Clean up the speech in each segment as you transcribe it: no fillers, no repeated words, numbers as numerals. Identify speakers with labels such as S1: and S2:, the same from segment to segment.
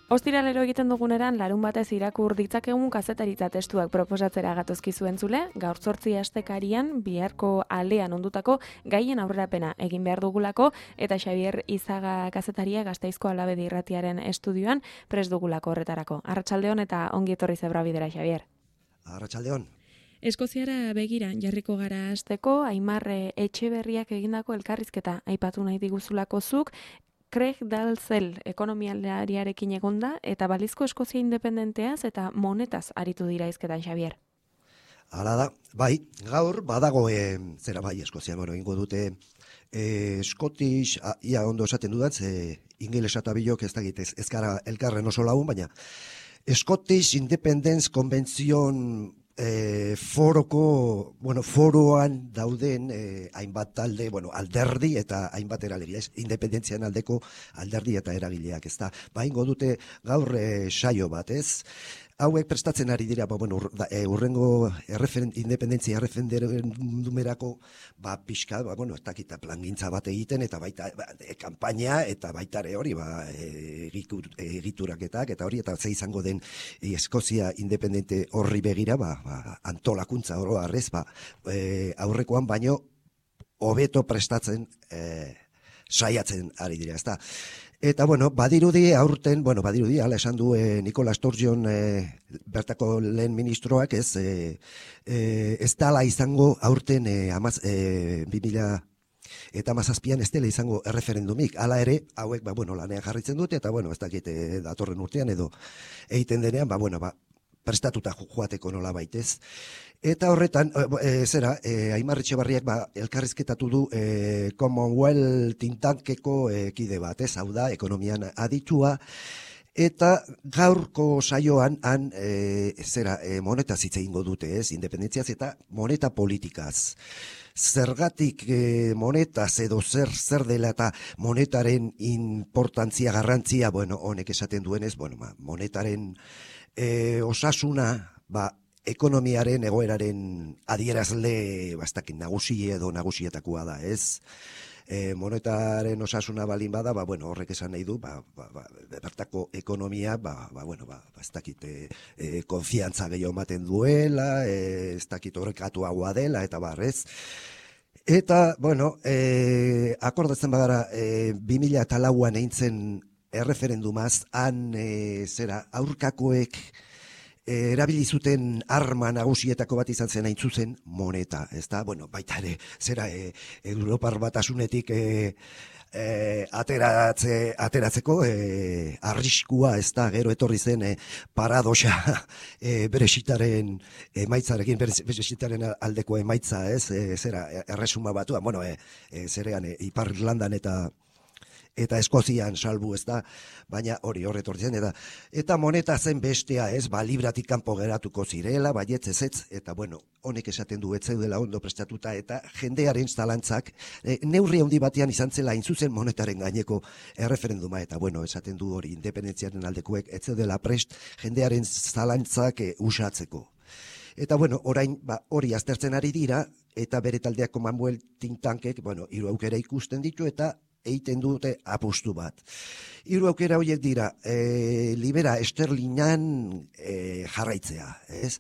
S1: Ostiralero egiten duguneran larun batez irakur ditzakegun kazetaritza testuak proposatzera gatozkizu entzule, gaur 8 astekarian biharko alean ondutako gaien aurrerapena egin behar dugulako eta Xabier Izaga kazetaria Gasteizko Alabedi Irratiaren estudioan prest dugulako horretarako. Arratsaldeon eta ongi etorri Zebrabidera, Xabier.
S2: Arratsaldeon.
S1: Eskoziara begira jarriko gara hasteko, Aimar Etxeberriak egindako elkarrizketa aipatu nahi diguzulako zuk. Craig Dalzell ekonomialariarekin egonda eta balizko Eskozia independenteaz eta monetaz aritu dira hizketan, Xabier.
S2: Hala da, bai, gaur badago Eskozia, ingo dute Scottish, ia ondo esaten dudan, ingelesa eta bilok ez dakit ez gara elkarren oso lagun, baina Scottish Independence Convention foroan dauden hainbat talde, alderdi eta hainbat eragile, independentzian aldeko alderdi eta eragileak, ez da. Ingo dute gaur saio bat, ez? Hauek prestatzen ari dira, urrengo independentzia erreferendumerako pixka, ez dakita plangintza bat egiten, eta baita kanpaina, eta baita hori, egituraketak, eta hori, eta ze izango den Eskozia independente horri begira, antolakuntza oro arrez, aurrekoan baino hobeto prestatzen saiatzen ari dira, ez da. Eta, badirudi aurten, hala esan du Nicola Sturgeon bertako lehen ministroak, ez dala izango aurten 2017an ez dela izango erreferendumik. Hala ere, hauek, lanean jarritzen dute, eta, ez dakit datorren urtean edo egiten denean, prestatuta joateko nola baitez. Eta horretan, Aimar Etxeberriak elkarrizketatu du Commonwealth tintankeko kide bat, hau da, ekonomian aditua, eta gaurko saioan monetaz hitz egingo dute, independentziaz eta moneta politikaz. Zergatik monetaz edo zer dela eta monetaren importantzia, garrantzia, honek esaten duenez, monetaren osasuna, ekonomiaren egoeraren adierazle nagusi edo nagusietakoa da, ez? Monetaren osasuna balin bada, horrek esan nahi du, bertako ekonomia, ez dakit, konfiantza gehiago ematen duela, ez dakit horrekatuagoa dela, eta barrez. Eta, akordatzen bagara, 2004an eintzen erreferendumaz, han, aurkakoek, erabili zuten arma nagusietako bat izan zen hain zuzen moneta, ez da? Baita ere, Europar Batasunetik ateratzeko arriskua, ez da, gero etorri zen paradoxa Brexitaren emaitzarekin, Brexitaren aldeko emaitza, ez? Erresuma batua, Ipar Irlandan eta Eskozian salbu, ez da, baina hori horretortzen, eta moneta zen bestea, ez, libratik kanpo geratuko zirela, baietz ez, eta honek esaten du etzeudela ondo prestatuta, eta jendearen zalantzak, neurri handi batean izan zela zuzen monetaren gaineko erreferenduma, eta esaten du hori independentziaren aldekuek, etzeudela prest jendearen zalantzak usatzeko. Eta orain hori aztertzen ari dira, eta bere taldeak Commonwealth think tankek, hiru aukera ikusten ditu, eta egiten dute apustu bat. Hiru aukera horiek dira, libera esterlinan jarraitzea, ez?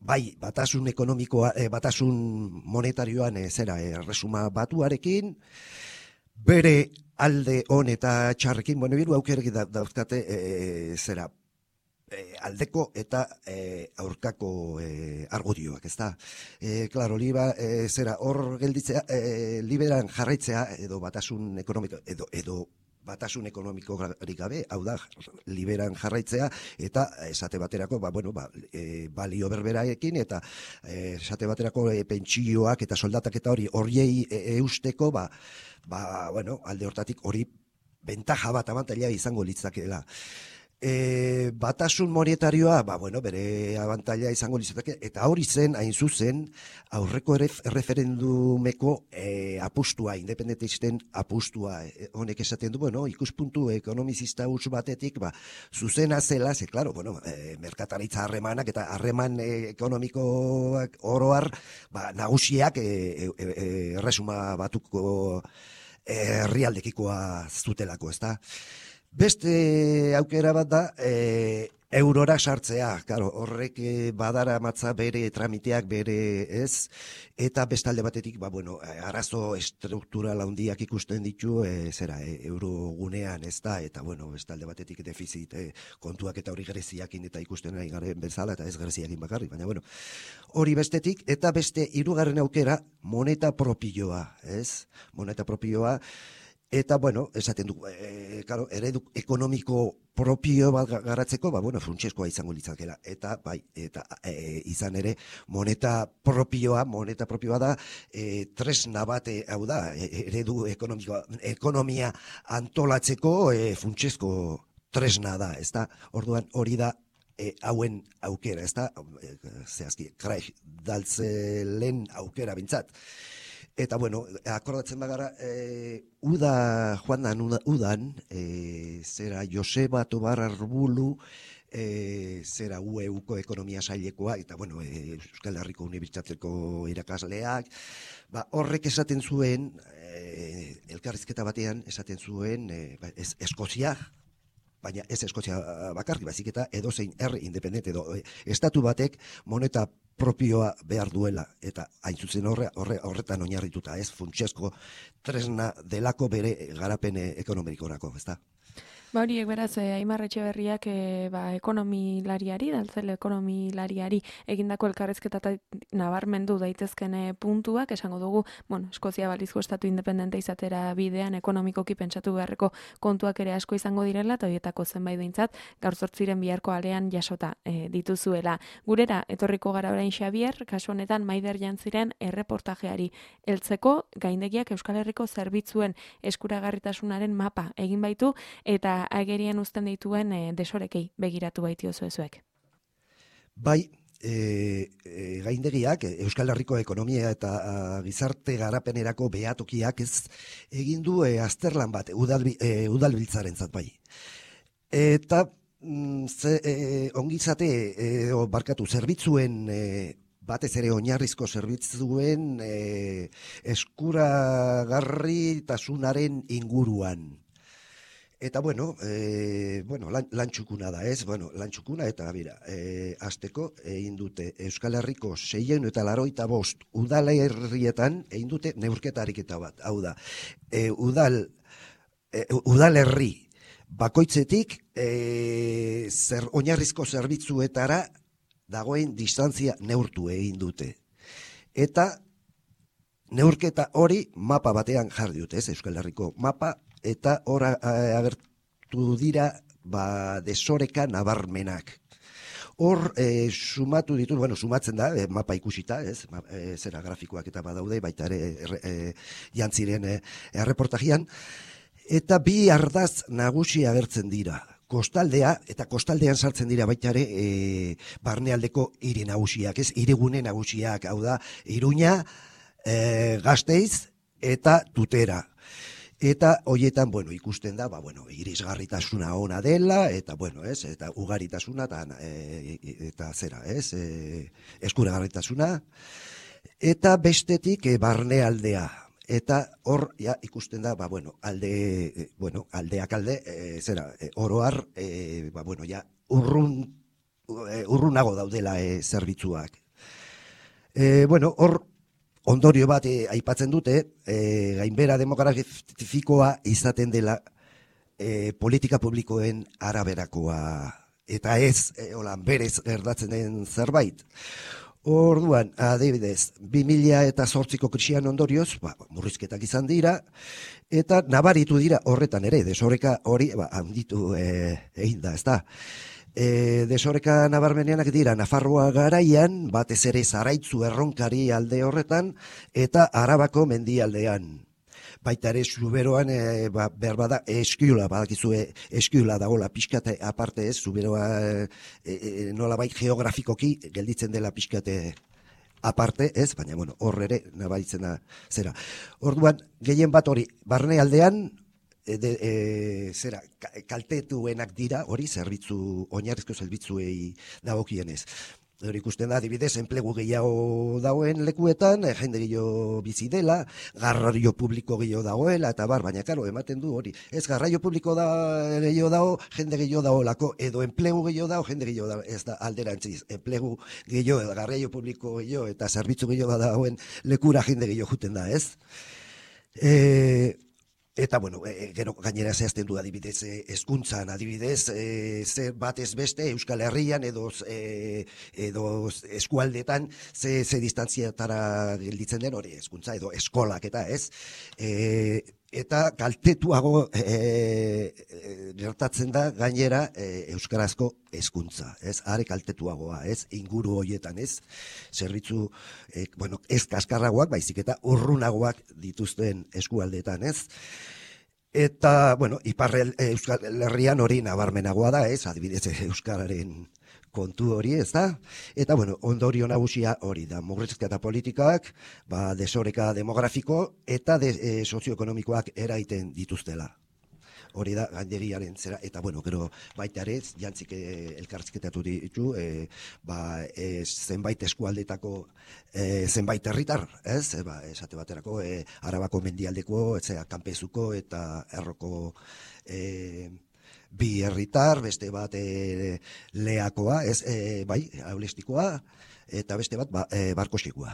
S2: Bai, batasun ekonomikoa, batasun monetarioan erresuma batuarekin, bere alde on eta txarrekin, hiru aukerek dauzkate aldeko eta aurkako argudioak, ez da? Klaro, hor gelditzea, liberan jarraitzea, edo batasun ekonomiko, edo batasun ekonomikorik gabe, hau da, liberan jarraitzea, eta esate baterako, balio berberaekin, eta esate baterako pentsioak eta soldatak eta horiei eusteko, alde hortatik hori bentaja bat abantaila izango litzakeela. Batasun monetarioa, bere abantaila izango litzateke, eta hori zen, hain zuzen, aurreko erreferendumeko apustua, independentisten apustua, honek esaten du, ikuspuntu ekonomizista huts batetik, zuzena zela, klaro, merkataritza harremanak eta harreman ekonomikoak oroar, nagusiak erresuma batuko herrialdekikoa zutelako, ez da? Beste aukera bat da, eurora sartzea, claro, horrek badara matza bere tramiteak bere ez, eta bestalde batetik, arazo struktural handiak ikusten ditu, eurogunean ez da, eta bestalde batetik defizit kontuak eta hori Greziakin eta ikusten nahi garen bezala, eta ez Greziakin bakarrik, baina hori bestetik, eta beste hirugarren aukera, moneta propioa, ez? Moneta propioa, eta, esaten du, eredu ekonomiko propio bat garatzeko, funtsezkoa izango litzakela. Eta, izan ere, moneta propioa da, tresna bat, hau da, eredu ekonomia antolatzeko funtsezko tresna da, ez da? Orduan, hori da, hauen aukera, ez da? Zehazki, Craig Dalzelen aukera bintzat. Eta, akordatzen bagara, udan, zera Joseba Tobar Arbulu, zera UEUko ekonomia sailekoa, eta, Euskal Herriko Unibertsitateko irakasleak, horrek esaten zuen, elkarrizketa batean esaten zuen, Eskozia, baina ez Eskozia bakarrik, baizik eta edozein herri independente edo estatu batek moneta propioa behar duela, eta hain zuzen horretan oinarrituta, ez funtsezko tresna delako bere garapen ekonomikorako, ez da?
S1: Horiek beraz, Aimar Etxeberriak ekonomilariari, Dalzele ekonomilariari egindako elkarrizketa nabarmendu daitezken puntuak, esango dugu, Eskozia balizko estatu independente izatera bidean ekonomikoki pentsatu beharreko kontuak ere asko izango direla, eta horietako zenbait behintzat, gaur zortziren biharko alean jasota dituzuela. Gurera, etorriko gara orain Xabier, kasu honetan Maider Jantziren erreportajeari heltzeko, gaindegiak Euskal Herriko zerbitzuen eskuragarritasunaren mapa egin baitu, eta agerian uzten dituen desorekei begiratu baitio zuezuek.
S2: Bai, gaindegiak Euskal Herriko ekonomia eta gizarte garapenerako behatokiak ez egin du azterlan bat udalbiltzarentzat bai. Eta ongizate zerbitzuen batez ere oinarrizko zerbitzuen eskuragarritasunaren inguruan. Eta, lan txukuna da, ez? Lan txukuna eta, azteko, egin dute Euskal Herriko 685 udalerrietan egin dute neurketa ariketa bat. Hau da, udalerri bakoitzetik oinarrizko zerbitzuetara dagoen distantzia neurtu egin dute. Eta neurketa hori mapa batean jarri dute, ez? Euskal Herriko mapa, eta hor agertu dira desoreka nabarmenak. Hor sumatu ditu, sumatzen da, mapa ikusita, ez? Zera grafikoak eta badaude, baita ere Jantziren erreportajian, eta bi ardaz nagusi agertzen dira. Kostaldea, eta kostaldean sartzen dira baita ere barnealdeko hiri nagusiak, ez? Hirigune nagusiak, hau da, Iruña, Gasteiz eta Tutera. Eta horietan, ikusten da, irisgarritasuna ona dela, eta, eta ugaritasuna, eta zera, eskuragarritasuna, eta bestetik barnealdea. Eta hor, ikusten da, aldeak alde, oroar, urrunago daudela zerbitzuak. Hor, ondorio bat aipatzen dute, gainbera demografikoa izaten dela politika publikoen araberakoa, eta ez, berez gertatzen den zerbait. Orduan, adibidez, 2008ko krisian ondorioz, murrizketak izan dira, eta nabaritu dira horretan ere, desoreka hori handitu egin da, ez da. Desoreka nabarmeneanak dira Nafarroa garaian, batez ere Zaraitzu erronkari alde horretan, eta Arabako mendialdean. Baita ere Zuberoan, berbada, eskiula, badakizue eskiula dagoela pixkate aparte ez, Zuberoa nolabait geografikoki gelditzen dela pixkate aparte ez, baina hor ere nabaritzen da zera. Orduan, gehien bat hori, barnealdean, kaltetuenak dira, hori, oinarrizko zerbitzuei dagokienez. Hori ikusten da, adibidez, enplegu gehiago dagoen lekuetan, jende gehiago bizi dela, garraio publiko gehiago dagoela, eta baina, karo, ematen du hori. Ez, garraio publiko gehiago dago, jende gehiago dagoelako, edo enplegu gehiago dago, jende gehiago dago, ez da alderantziz. Enplegu gehiago, garraio publiko gehiago, eta zerbitzu gehiago dagoen lekura jende gehiago juten da, ez? Eta, bueno, gero gainera zehazten du adibidez, hezkuntzan adibidez, zer batez beste Euskal Herrian edo eskualdetan ze distantziatara gelditzen den hori hezkuntza edo eskolak eta ez. Eta kaltetuago gertatzen da gainera euskarazko hezkuntza, ez? Are kaltetuagoa, ez? Inguru hoietan, ez? Zerbitzu, bueno, ez kaskarragoak, baizik eta urrunagoak dituzten eskualdetan, ez? Eta, bueno, ipar Euskal Herrian hori nabarmenagoa da, ez? Adibidez, euskararen kontu hori, ez da? Eta, bueno, ondorio nagusia hori da, murrizketa politikak, desoreka demografiko eta sozioekonomikoak eraiten dituztela. Hori da, gainderiaren zera, eta, bueno, gero baita ere, jantzik elkarrizketatu ditu, zenbait eskualdetako zenbait herritar, ez? Esate baterako, Arabako mendialdeko, Kanpezuko eta Erroko bi herritar, beste bat Leakoa, ez, Aulestikoa, eta beste bat Barkosikoa.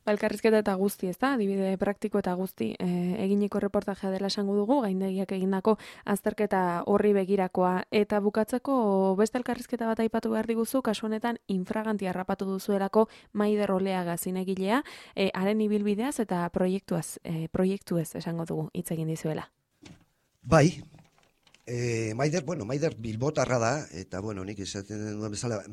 S1: Elkarrizketa eta guzti, ez da, adibide praktiko eta guzti eginiko reportajea dela esango dugu, gaindegiak egindako azterketa horri begirakoa. Eta bukatzeko beste elkarrizketa bat aipatu behar diguzu, kasu honetan infraganti harrapatu duzuelako Maider Oleaga zinegilea, haren ibilbideaz eta proiektuez esango dugu hitz egin dizuela.
S2: Bai, Maider bilbotarra da, eta, bueno, nik esaten duen bezala,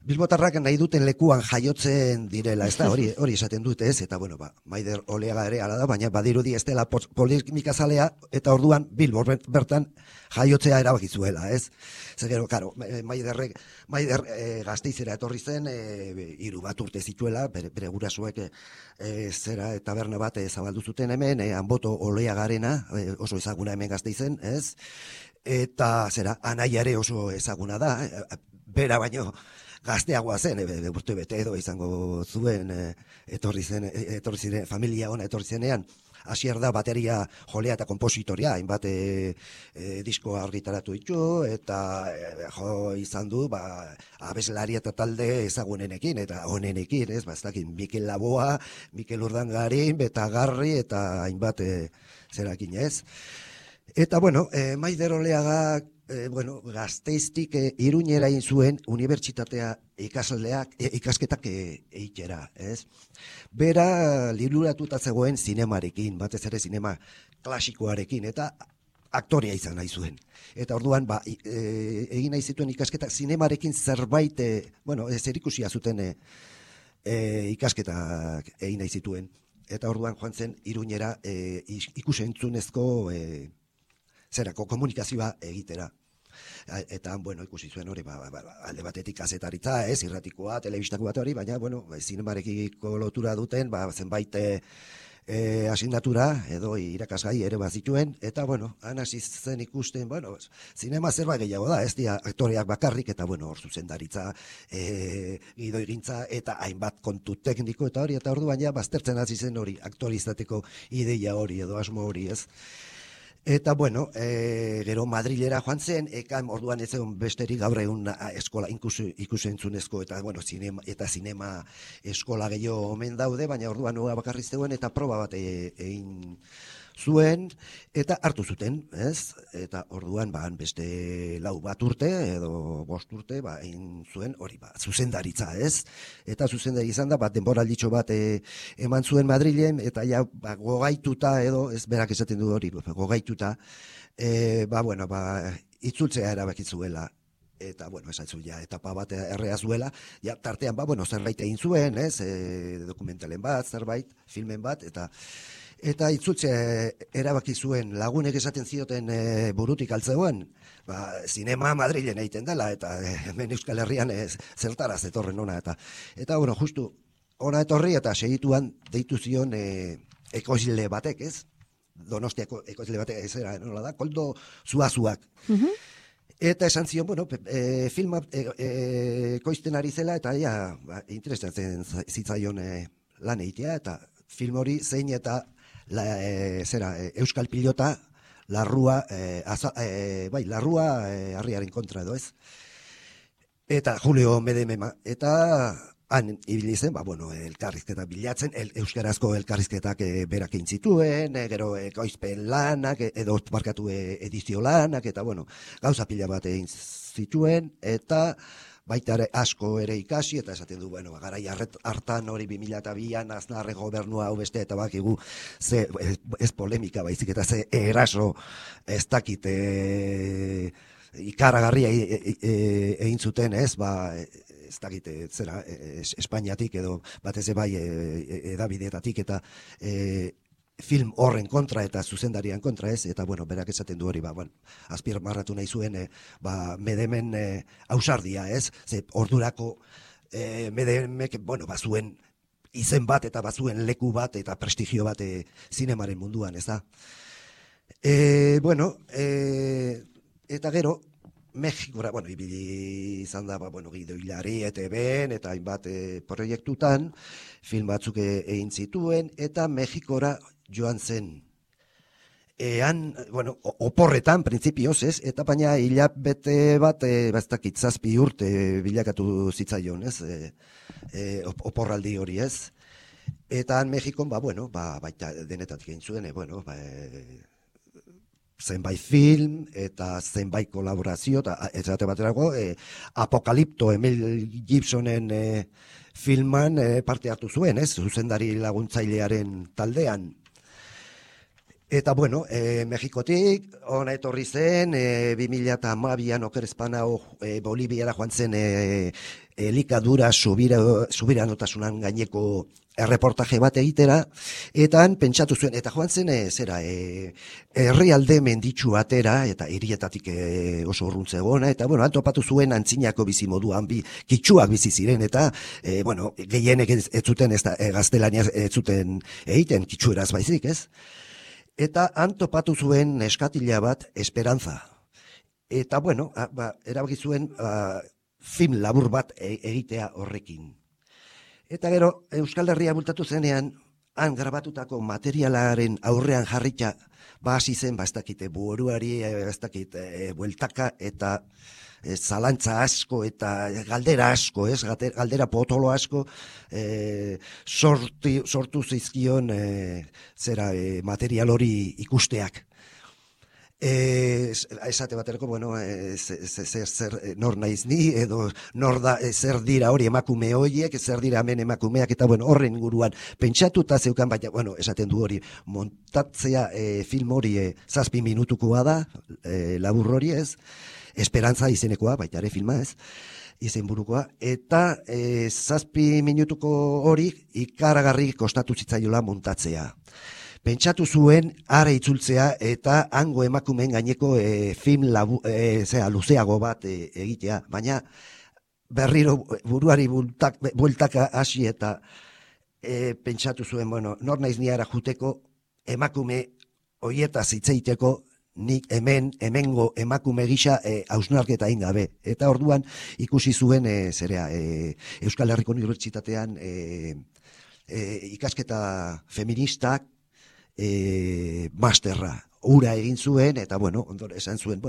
S2: Bilbotarrak nahi duten lekuan jaiotzen direla, ez da, hori esaten dute, ez, eta, bueno, Maider Oleaga ere ala da, baina badirudi ez dela polemikazalea, eta orduan Bilbo bertan jaiotzea erabakizuela, ez? Zer gero, karo, Maider Gasteizera etorri zen, 3 urte zituela, bere gurasoek zera taberna bat zabaldu zuten hemen, Anboto Oleagarena, oso ezaguna hemen Gasteizen, ez? Eta, anaiare oso ezaguna da, bera baino, gazteagoa zen, urte bete edo izango zuen, etorri ziren, familia ona etorri zenean, hasier da bateria jolea eta kompositoria, hainbat disko argitaratu ditu, eta jo izan du, abeslari eta talde ezagunenekin, eta onenekin, ez, ez dakit, Mikel Laboa, Mikel Urdangarin, Betagarri, eta hainbat zerakin, ez. Eta, bueno, Maider Oleaga, Gasteiztik Iruñera egin zuen unibertsitatea ikasketak egitera, ez? Bera liluratuta zegoen zinemarekin, batez ere zinema klasikoarekin, eta aktorea izan nahi zuen. Eta orduan, egin nahi zituen ikasketak zinemarekin zerbait, zerikusia zuten ikasketak egin nahi zituen. Eta orduan joan zen Iruñera ikusentzunezko komunikazioa egitera. Eta, ikusi zuen hori, alde batetik kazetaritza, irratikoa, telebistako bat hori, baina, zinemarekiko lotura duten, zenbait asignatura, edo irakasgai ere bazituen, eta, han hasi zen ikusten, zinema zerbait gehiago da, ez dira aktoreak bakarrik, eta, hor zuzendaritza, gidoigintza, eta hainbat kontu tekniko, eta hori, eta orduan ja, baztertzen hasi zen hori, aktore izateko ideia hori, edo asmo hori, ez? Eta, gero Madrilera joan zen, orduan ez egon besterik gaur egun eskola ikusentzunezko eta zinema eskola gehiago omen daude, baina orduan noa bakarri zegoen eta proba bat egin zuen, eta hartu zuten, ez? Eta orduan beste 4 urte edo 5 urte egin zuen hori zuzendaritza, ez? Eta zuzendari izan da, denboralditxo bat eman zuen Madrilen, eta ja gogaituta edo, ez berak esaten du hori, gogaituta, itzultzea erabakizuela. Eta, esatzu, etapa bat errea zuela, tartean, zerbait egin zuen, ez? Dokumentalen bat, zerbait, filmen bat, eta itzultze erabaki zuen lagunek esaten zioten burutik altzegoen, zinema Madrilen egiten dela, eta hemen Euskal Herrian zertaraz etorren ona, eta justu, ona etorri eta segituan deitu zion ekoizle batek, ez? Donostiako ekoizle batek, ez era, nola da, Koldo Zuazuak. Eta esan zion, bueno, filma koizten ari zela, eta interesatzen zitzaion lan egitea, eta film hori zein eta Euskal Pilota, larrua, larrua harriaren kontra edo ez. Eta Julio Medemema, eta han ibili zen, elkarrizketa bilatzen, euskarazko elkarrizketak berak egin zituen, gero ekoizpen lanak, edo markatu edizio lanak, eta gauza pila bat egin zituen, eta baita asko ere ikasi, eta esaten du, garai hartan hori 2002an Aznarre gobernua hau beste, eta bakigu, ez polemika baizik, eta ze eraso ez dakit ikaragarria egin zuten, ez dakit, Espainiatik edo batez bai edabideetatik eta film horren kontra eta zuzendarian kontra, ez, eta berak esaten du hori, azpimarratu nahi zuen Medemen ausardia, ez, ze ordurako Medemek, bazuen izen bat eta bazuen leku bat eta prestigio bat zinemaren munduan, ez da. Eta gero, Mexikora, ibili izan da, Guido Hilari, ETB-en, eta hainbat proiektutan, film batzuk egin zituen, eta Mexikora joan zen. Oporretan, printzipioz, ez, eta baina hilabete bat, baztakit, 7 urte bilakatu zitzaion, ez, oporraldi hori, ez. Eta Mexikon, baita denetatik egin zuen, zenbait film eta zenbait kolaborazio, eta esate baterako Apokalipto Mel Gibsonen filman parte hartu zuen, ez, zuzendari laguntzailearen taldean. Eta Mexikotik ona etorri zen, 2012an okerezpanao Boliviara joan zen elikadura subiranotasunaren gaineko erreportaje bat egitera, eta han pentsatu zuen, eta joan zen herrialde menditsu batera, eta hirietatik oso urruntze egona, eta han topatu zuen antzinako bizimoduan, kitsuak bizi ziren, eta gehienek ez zuten, gaztelania ez zuten egiten, kitsueraz baizik, ez? Eta han topatu zuen neskatila bat, Esperanza. Eta, erabaki zuen film labur bat egitea horrekin. Eta gero, Euskal Herria bultatu zenean, han grabatutako materialaren aurrean jarrita, hasi zen, ez dakite, buruari, ez dakite, bueltaka eta zalantza asko eta galdera asko, ez, galdera potolo asko, sortu zizkion material hori ikusteak. Esate baterako, nor naiz ni, edo zer dira hori emakume horiek, zer dira hemen emakumeak, eta horren inguruan pentsatuta zeukan, baina, esaten du hori, montatzea film hori 7 minutukoa da, labur hori ez, Esperantza izenekoa, baita ere filma ez, izenburukoa, eta 7 minutuko hori ikaragarri kostatu zitzaiola montatzea. Pentsatu zuen ara itzultzea eta hango emakumeen gaineko film luzeago bat egitea, baina berriro buruari bueltaka hasi eta pentsatu zuen, nor naiz ni ara juteko emakume hoietaz hitz egiteko, nik hemengo emakume gisa hausnarketa egin gabe. Eta orduan ikusi zuen Euskal Herriko Unibertsitatean ikasketa feministak masterra ura egin zuen, eta ondore esan zuen,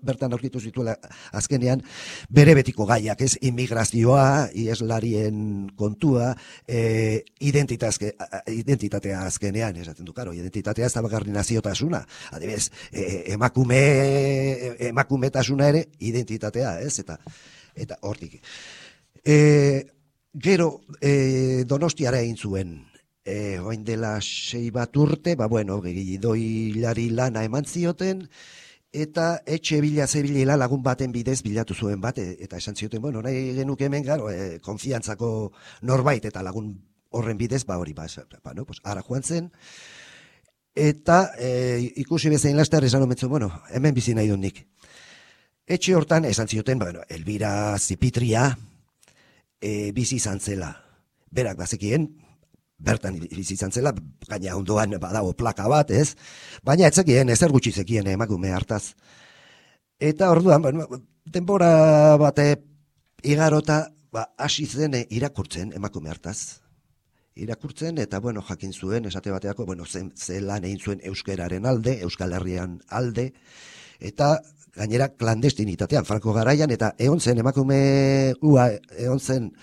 S2: bertan aurkitu zituela azkenean bere betiko gaiak, ez, immigrazioa, ieslarien kontua, identitatea azkenean, esaten du, karo, identitatea ez da bakarri naziotasuna, adibidez, emakumetasuna ere identitatea, ez, eta hortik. Gero, Donostiara egin zuen, oain dela 6 bat urte, Guido Hilari lana eman zioten, eta etxe bila lagun baten bidez bilatu zuen bat, eta esan zioten, nahi genuke hemen, konfiantzako norbait, eta lagun horren bidez, ara joan zen, eta ikusi bezain laster esan ometzu, hemen bizi nahi dut nik. Etxe hortan, esan zioten, Elvira Zipitria bizi izan zela. Berak bazekien, bertan bizi izan zela, gaina ondoan badago plaka bat, ez? Baina etzekien, ezer gutxi zekien emakume hartaz. Eta orduan, bueno, denbora bate igarota, hasi zen irakurtzen emakume hartaz. Irakurtzen, eta, bueno, jakin zuen, esate bateako, bueno, ze lan egin zuen euskeraren alde, Euskal Herrian alde, eta gainera klandestinitatean, Franco garaian, eta egon zen emakume egon zen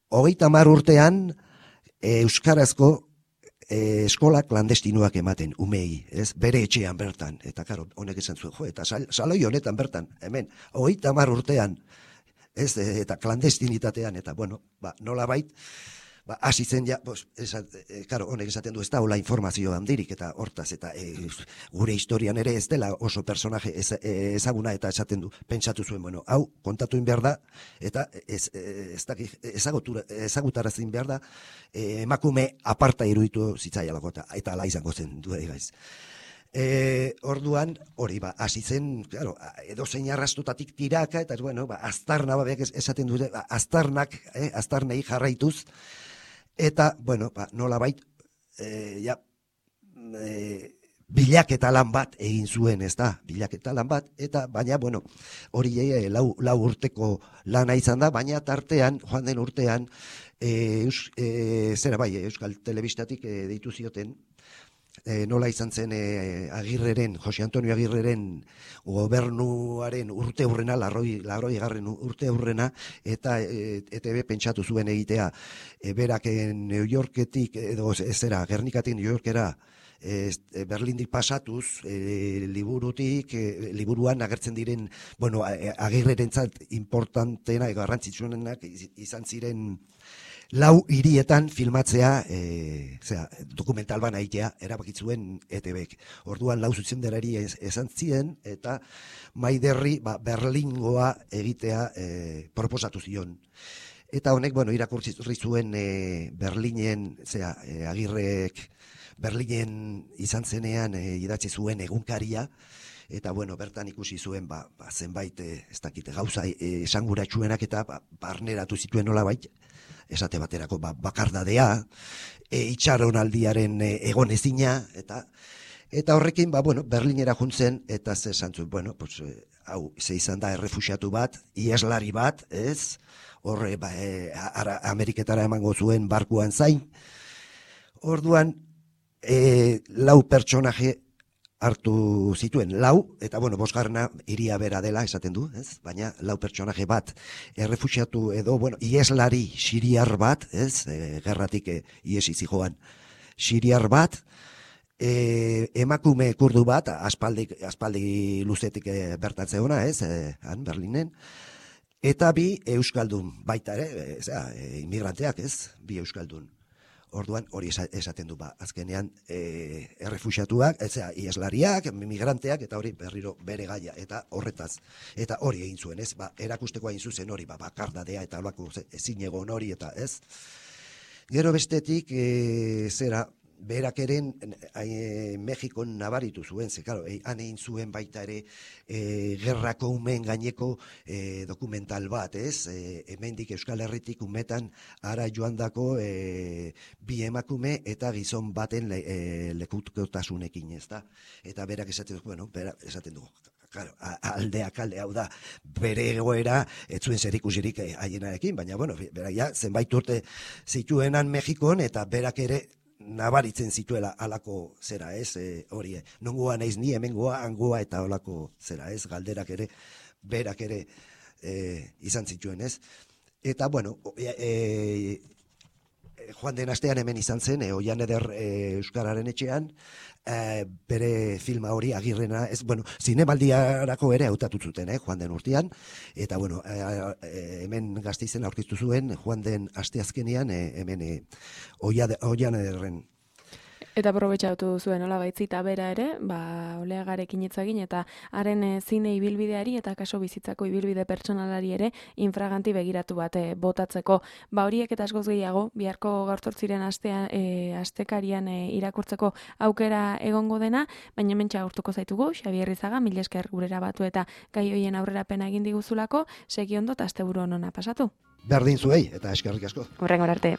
S2: 30 urtean euskarazko eskola klandestinuak ematen, umei, ez, bere etxean bertan, eta karo, honek esan zuen, jo, eta saloi honetan bertan, hemen, 30 urtean, ez, eta klandestinitatean, eta, bueno, nola bait, hasi zen ja, karo, honek esaten du ez da, hola informazio handirik, eta hortaz, eta gure historian ere ez dela oso personaje ezaguna, eta esaten du, pentsatu zuen, bueno, hau, kontatu behar da, eta ezagutarazin behar da, emakume aparta iruditu zitzaialako, eta ala izango zen, du egaiz. Orduan, hori, hasi zen, claro, edozein arrastutatik tiraka, eta, bueno, aztarna, esaten dute, aztarnei jarraituz, eta, bueno, nola bait, bilaketa lan bat egin zuen, ez da, bilaketa lan bat, eta, baina, bueno, hori lau urteko lana izan da, baina tartean, joan den urtean, Euskal Telebistatik deitu zioten, nola izan zen Agirreren, Jose Antonio Agirreren gobernuaren urte hurrena, larroi urte hurrena, eta ETB pentsatu zuen egitea, berak New Yorketik, edo Gernikatik New Yorkera, Berlindik pasatuz, liburuan agertzen diren, bueno, Agirrerentzat importanteena, garrantzitsuenak izan ziren lau hirietan filmatzea, dokumental bana egitea, erabakitzuen ETBek. Orduan lau zuzendarari esan ziren, eta Maiderri Berlingoa egitea proposatu zion. Eta honek, bueno, irakurri zuen Berlinen, Agirrek Berlinen izan zenean idatzi zuen egunkaria, eta, bueno, bertan ikusi zuen, zenbait, ez dakite, gauza esanguratsuenak eta barneratu zituen nolabait, esate baterako bakardadea, itxaronaldiaren egonezina, eta horrekin, bueno, Berlinera juntzen, eta ze esan zuen, bueno, hau, ze izan da errefuxiatu bat, ieslari bat, ez, horre, Ameriketara emango zuen barkuan zain, orduan, lau pertsonaje hartu zituen, lau, eta, bueno, bosgarrena iria bera dela, esaten du, ez? Baina, lau pertsonaje bat, errefuxiatu edo, bueno, ieslari siriar bat, ez? Gerratik iesi zijoan, siriar bat, emakume kurdu bat, aspaldi luzetik bertatze ona, ez? Han, Berlinen, eta bi euskaldun, baita ere, inmigranteak, ez? Bi euskaldun. Orduan hori esaten du, azkenean errefuxiatuak, ieslariak, migranteak, eta hori berriro bere gaia, eta horretaz, eta hori egin zuen, ez, erakusteko egin zuzen hori, bakardadea, eta holako ezin egon hori, eta ez. Gero bestetik, berak eren Mexikon nabaritu zuen, han egin zuen baita ere gerrako umeen gaineko dokumental bat, ez? Hemendik Euskal Herritik umetan ara joandako bi emakume eta gizon baten lekutotasunekin, ez da? Eta berak esaten du, claro, aldeak alde, hau da, bere egoera, ez zuen zerikusirik haienarekin, baina, bueno, berak ja, zenbait urte zituenan Mexikon, eta berak ere nabaritzen zituela alako zera, ez, hori, nongoa naiz ni, hemengoa, hangoa, eta olako zera, ez, galderak ere, berak ere izan zituen, ez. Eta, bueno, joan den astean hemen izan zen, Oian Eder Euskararen etxean, bere filma hori Agirrena, ez, bueno, zinemaldiarako ere hautatu zuten, joan den urtean, eta, bueno, hemen Gasteizen aurkeztu zuen, joan den asteazkenean, hemen Oian Ederren.
S1: Eta aprobetxatu zuen, hola baitzita bera ere, Oleagarekin hitz egin, eta haren zine ibilbideari eta kaso bizitzako ibilbide pertsonalari ere infraganti begiratu bat botatzeko. Horiek eta askoz gehiago, biharko gaur 8 astekarian irakurtzeko aukera egongo dena, baina hementxe agurtuko zaitugu, Xabier Rizaga, mila esker gurera batu eta gai hoien aurrerapena egin diguzulako, segi ondo eta asteburu onona pasatu.
S2: Berdin zuei, eta eskerrik asko.
S1: Hurrengora arte.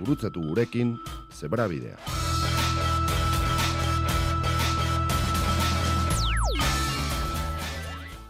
S3: gurutzatu gurekin Zebrabidea.